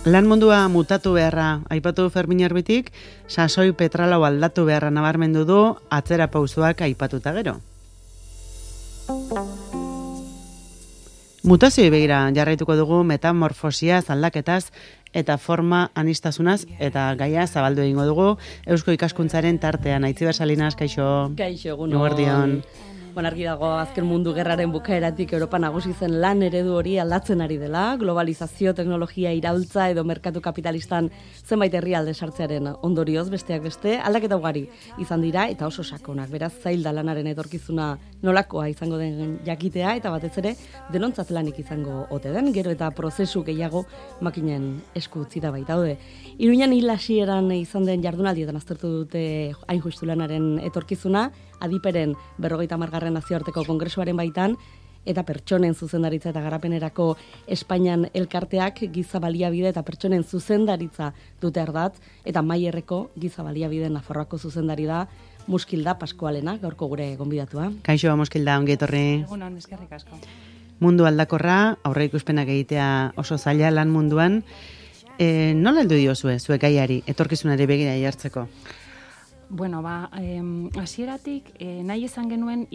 Lan mundua mutatu beharra aipatu Fermin Arbitik, sasoi petralau aldatu beharra nabarmendu du atzera pausoak aipatuta gero. Mutazioei begira jarraituko dugu metamorfosiaz, aldaketaz eta forma anistasunaz eta gaia zabaldu egingo dugu Eusko Ikaskuntzaren tartean. Aitziber Salinas, kaixo. Kaixo, egun. Eguerdion. Argi dago azken mundu gerraren bukaeratik Europa nagusi zen lan eredu hori aldatzen ari dela, globalizazio, teknologia iraultza edo merkatu kapitalistan zenbait herrialde sartzearen ondorioz besteak beste, aldaketa ugari izan dira eta oso sakonak. Beraz, zail da lanaren etorkizuna nolakoa izango den jakitea eta batez ere denontzat lanik izango ote den, gero eta prozesu gehiago makinen esku utzi da baitaude. Iruñan hil hasieran izan den jardunaldietan aztertu dute hain justu lanaren etorkizuna, adiperen 50. nazioarteko kongresuaren baitan, eta pertsonen zuzendaritza eta garapenerako Espainian elkarteak giza baliabide eta pertsonen zuzendaritza dute ardatz, eta Maierreko giza baliabide Nafarroako zuzendari da Muskilda Paskualena, gaurko gure gonbidatua. Kaixo, Muskilda, ongi etorri. Egunon, eskerrik asko. Mundu aldakorra, aurreikuspenak egitea oso zaila lan munduan. Nola heldu diozue, zuek gaiari, etorkizunari begira jartzeko? Bueno, hasieratik nahi izan genuen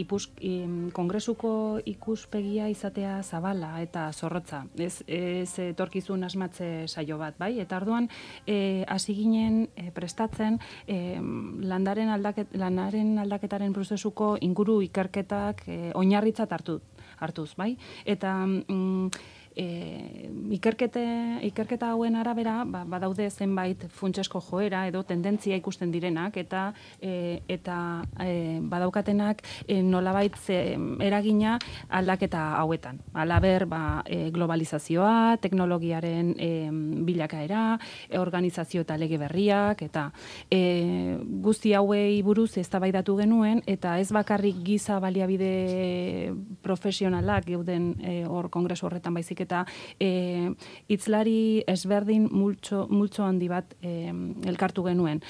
kongresuko ikuspegia izatea zabala eta zorrotza. Ez etorkizun asmatze saio bat, bai? Eta orduan hasi ginen prestatzen lanaren aldaketaren prozesuko inguru ikerketak oinarritzat hartuz, bai? Eta ikerketa hauen arabera badaude zenbait funtsesko joera edo tendentzia ikusten direnak eta badaukatenak nolabait eragina aldaketa hauetan. Halaber, globalizazioa, teknologiaren bilakaera, organizazio eta lege berriak eta guzti hauei buruz eztabaidatu genuen eta ez bakarrik giza baliabide profesionalak geuden hor kongresu horretan baizik eta hitzlari ezberdin multzo handi bat elkartu genuen.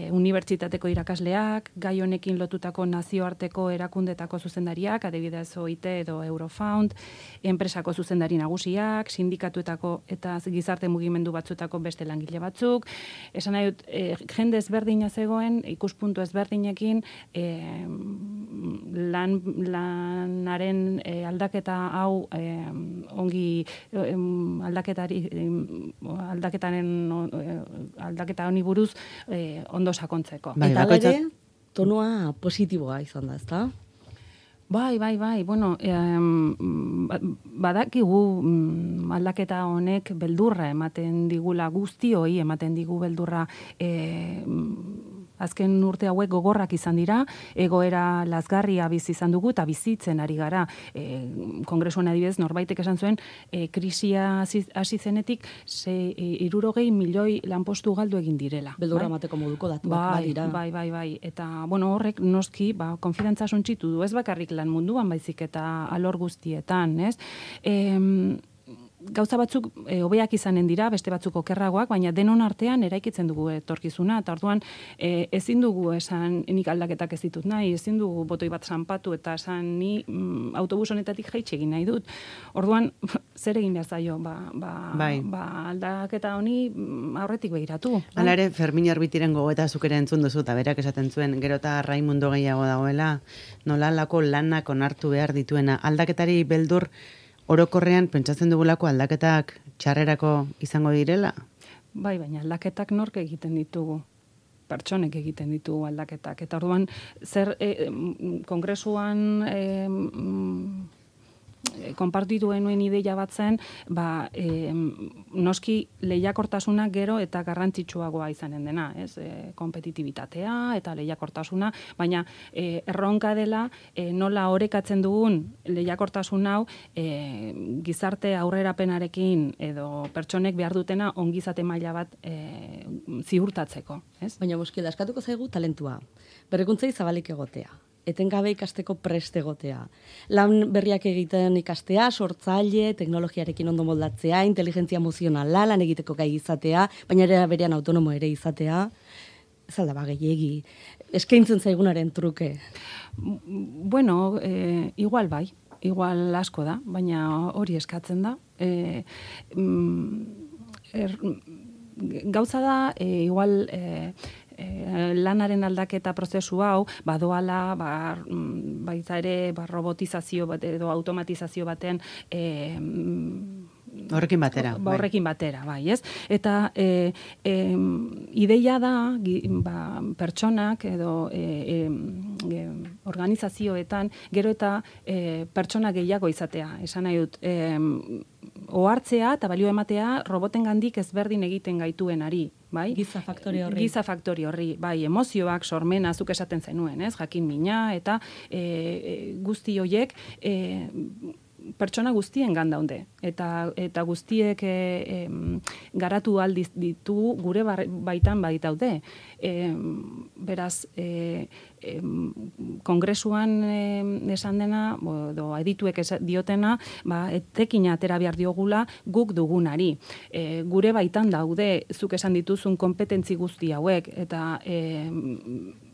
Unibertsitateko irakasleak, gai honekin lotutako nazioarteko erakundetako zuzendariak, adibidez OIT edo Eurofound, enpresako zuzendari nagusiak, sindikatuetako eta gizarte mugimendu batzuetako beste langile batzuk. Esan nahi dut, jende ezberdina zegoen, ikuspuntu ezberdinekin lanaren aldaketa hau ongi aldaketa honi buruz ondo sakontzeko. Eta ere, tonua positiboa izan da, ezta? Bai. Bueno, badakigu aldaketa honek beldurra ematen digula guztioi, ematen digu beldurra azken urte hauek gogorrak izan dira, egoera lazgarria bizi izan dugu eta bizitzen ari gara. Kongresuan adibidez, norbaitek esan zuen, krisia hasi zenetik 60 milioi lanpostu galdu egin direla. Beldurra emateko moduko datuak badira. Bai. Eta, bueno, horrek noski, konfidantza suntsitu du, ez bakarrik lan munduan baizik eta alor guztietan, ez? Gauza batzuk hobeak izanen dira, beste batzuk okerragoak, baina denon artean eraikitzen dugu etorkizuna, eta orduan ezin dugu esan nik aldaketak ez ditut nahi, ezin dugu botoi bat zanpatu eta esan ni autobus honetatik jaitsi egin nahi dut. Orduan, zer egin behar zaio? Aldaketa honi aurretik begiratu. Hala ere, Fermin Arbitiren gogoeta zuk ere entzun duzu, eta berak esaten zuen, gero eta Raimundo gehiago dagoela, nolalako lanak onartu behar dituena. Aldaketari beldur orokorrean pentsatzen dugulako aldaketak txarrerako izango direla? Bai, baina aldaketak nork egiten ditugu? Pertsonek egiten ditugu aldaketak. Eta orduan, zer kongresuan konpartitu genuen ideia bat zen, noski lehiakortasuna gero eta garrantzitsuagoa izanen dena, ez? Kompetitibitatea eta lehiakortasuna, baina erronka dela nola orekatzen dugun lehiakortasun hau gizarte aurrerapenarekin edo pertsonek behar dutena ongizate maila bat ziurtatzeko, ez? Baina Muskilda, eskatuko zaigu talentua, berrikuntzei zabalik egotea, etengabe ikasteko prest egotea. Lan berriak egiten ikastea, sortzaile, teknologiarekin ondo moldatzea, inteligentzia emozionala, lan egiteko gai izatea, baina ere berean autonomo ere izatea. Ez alda gehiegi. Eskaintzen zaigunaren truke. Bueno, igual bai. Igual asko da, baina hori eskatzen da. gauza da, igual... lanaren aldaketa prozesu hau badoala baita ere robotizazio bat edo automatizazio baten horrekin batera. Horrekin batera, bai, ez? Eta ideia da pertsonak edo organizazioetan gero eta pertsona gehiago izatea. Esan nahi dut, ohartzea eta balio ematea robotengandik ezberdin egiten gaituenari, bai? Giza faktore horri. Giza faktore horri, bai, emozioak, sormena, zuk esaten zenuen, ez? Jakin mina eta guzti hoiek pertsona guztien gandaude. Eta guztiek garatu aldiz ditu gure baitan baitaude. Beraz, kongresuan esan dena, edo adituek diotena, etekina atera behar diogula guk dugunari. Gure baitan daude, zuk esan dituzun kompetentzi guzti hauek, eta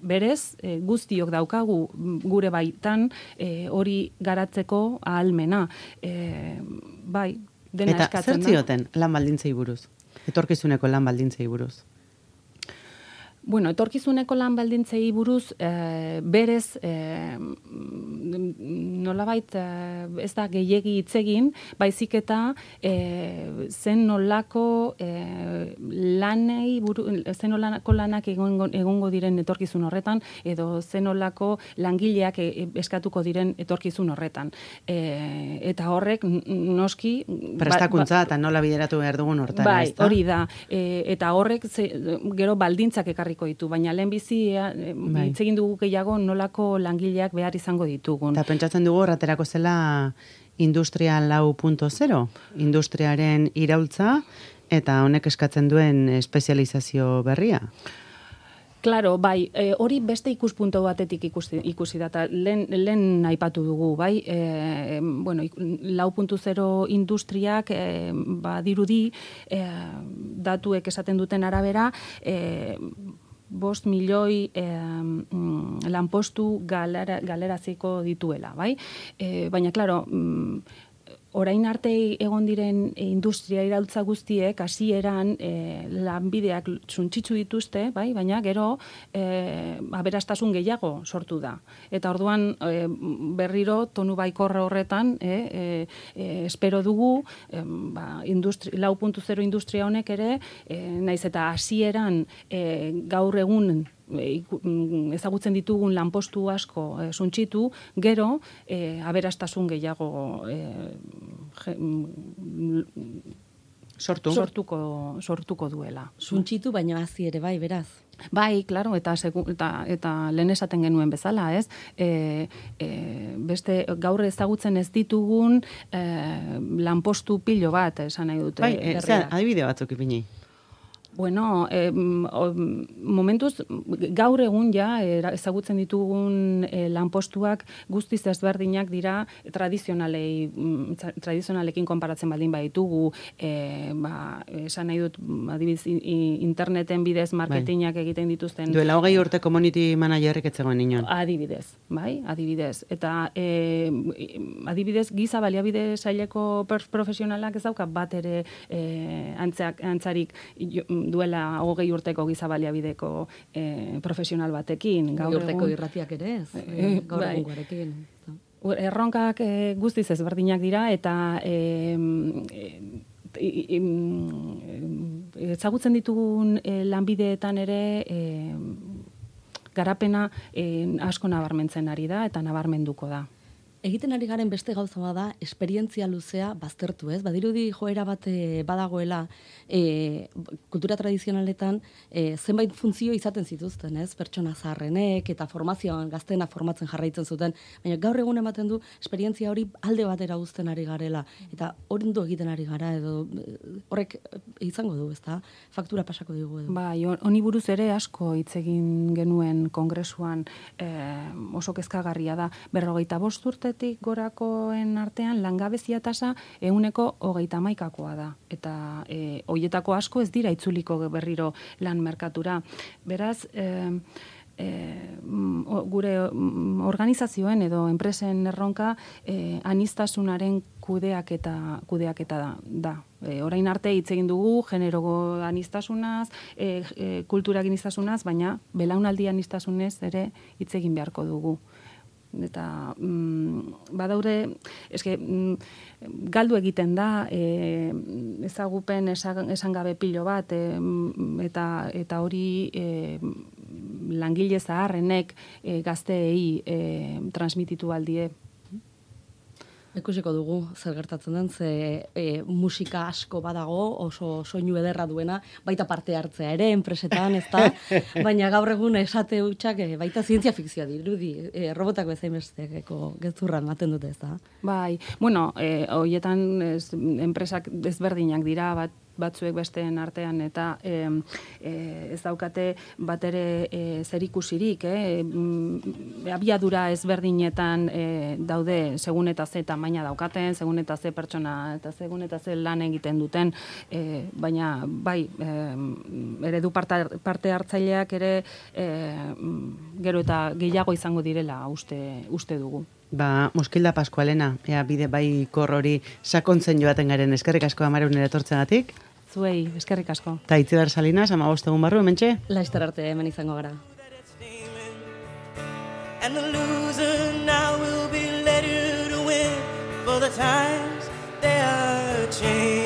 berez, guztiok daukagu gure baitan hori garatzeko ahalmena. Bai, dena eta eskatzen da. Eta zer zioten lan baldintzei buruz? Etorkizuneko lan baldintzei buruz? Bueno, etorkizuneko lan baldintzei buruz, berez, nolabait ez da gehiegi hitz egin, baizik eta zen nolako lanak egongo diren etorkizun horretan, edo zen nolako langileak eskatuko diren etorkizun horretan. Eta horrek, noski... Prestakuntza eta nola bideratu behar dugun hortara, ez da? Bai, hori da. Eta horrek gero baldintzak ekarriko ditu, baina lehenbizi hitz egin dugu gehiago nolako langileak behar izango ditugun. Eta pentsatzen dugu horreterako zela Industria 4.0, industriaren iraultza eta honek eskatzen duen espezializazio berria. Claro, bai, hori beste ikuspuntu batetik ikusi da, eta lehen aipatu dugu, bai, bueno, 4.0 industriak badirudi datuek esaten duten arabera, 5 milioi lanpostu galeraziko dituela, bai? Baina, claro, orain arte egon diren industria iraultza guztiek hasieran lanbideak suntsitsu dituzte, bai, baina gero aberastasun gehiago sortu da. Eta orduan berriro tonu baikorra horretan espero dugu 4.0 industria honek ere naiz eta hasieran gaur egun ezagutzen ditugun lanpostu asko suntsitu, gero aberastasun gehiago sortuko duela. Suntsitu baina hazi ere bai, beraz. Bai, claro, eta lehen esaten genuen bezala, ez? Beste gaur ezagutzen ez ditugun lanpostu pilo bat, esan nahi dute. Bai, adibide batzuk ipini. Bueno, momentuz, gaur egun ja, ezagutzen ditugun lanpostuak guztiz ezberdinak dira tradizionalekin konparatzen baldin baditugu, esan nahi dut, adibidez, interneten bidez marketingak egiten dituzten. Duela 20 urte community managerrek etzegoen inon. Adibidez, bai, adibidez. Eta adibidez, giza baliabide saileko profesionalak ez dauka bat ere antzarik duela 20 urteko giza baliabideko profesional batekin. 20 urteko irratiak ere ez, gaur egungoarekin. Erronkak guztiz ezberdinak dira, eta ezagutzen ditugun lanbideetan ere garapena asko nabarmentzen ari da, eta nabarmenduko da. Egiten ari garen beste gauza bada, esperientzia luzea baztertu, ez? Badirudi joera bat badagoela kultura tradizionaletan zenbait funtzio izaten zituzten, ez? Pertsona zaharrenek eta formazioan gaztena formatzen jarraitzen zuten, baina gaur egun ematen du esperientzia hori alde batera uzten ari garela, eta ondo egiten ari gara, edo horrek izango du, ezta? Faktura pasako digu edo. Bai, honi buruz ere asko hitz egin genuen kongresuan, oso kezkagarria da, 45 urte gorakoen artean langabezia tasa 131%koa da. Eta hoietako asko ez dira itzuliko berriro lan merkatura. Beraz, gure organizazioen edo enpresen erronka anistasunaren kudeaketa da. Orain arte hitz egin dugu generoko anistasunaz, kultura anistasunaz, baina belaunaldi anistasunez ere hitz egin beharko dugu. Eta badaude, galdu egiten da, ezagupen esan gabe pilo bat, eta hori langile zaharrenek gazteei transmititu aldie. Ikusiko dugu zer gertatzen den, ze musika asko badago, oso soinu ederra duena, baita parte hartzea ere, enpresetan, ez da, baina gaur egun esate hutsak baita zientzia fikzioa dirudi, robotak bezain besteko gezurra ematen dute, ez da. Bai, bueno, hoietan enpresak desberdinak dira, batzuek besteen artean, eta ez daukate bat ere zerikusirik, abiadura ezberdinetan daude segun eta ze tamaina daukaten, segun eta ze pertsona eta segun eta ze lan egiten duten, baina bai, eredu parte hartzaileak ere gero eta gehiago izango direla uste dugu. Moskilda Pascualena, bide bai kor hori sakontzen joaten garen, eskerrik asko Amarunera etortzegatik. Zuei, eskerrik asko. Ta Itziar Salinas, 15 egun barru, hementxe? Laster arte hemen izango gara. And the loser now will be let to win, for the times they are changing.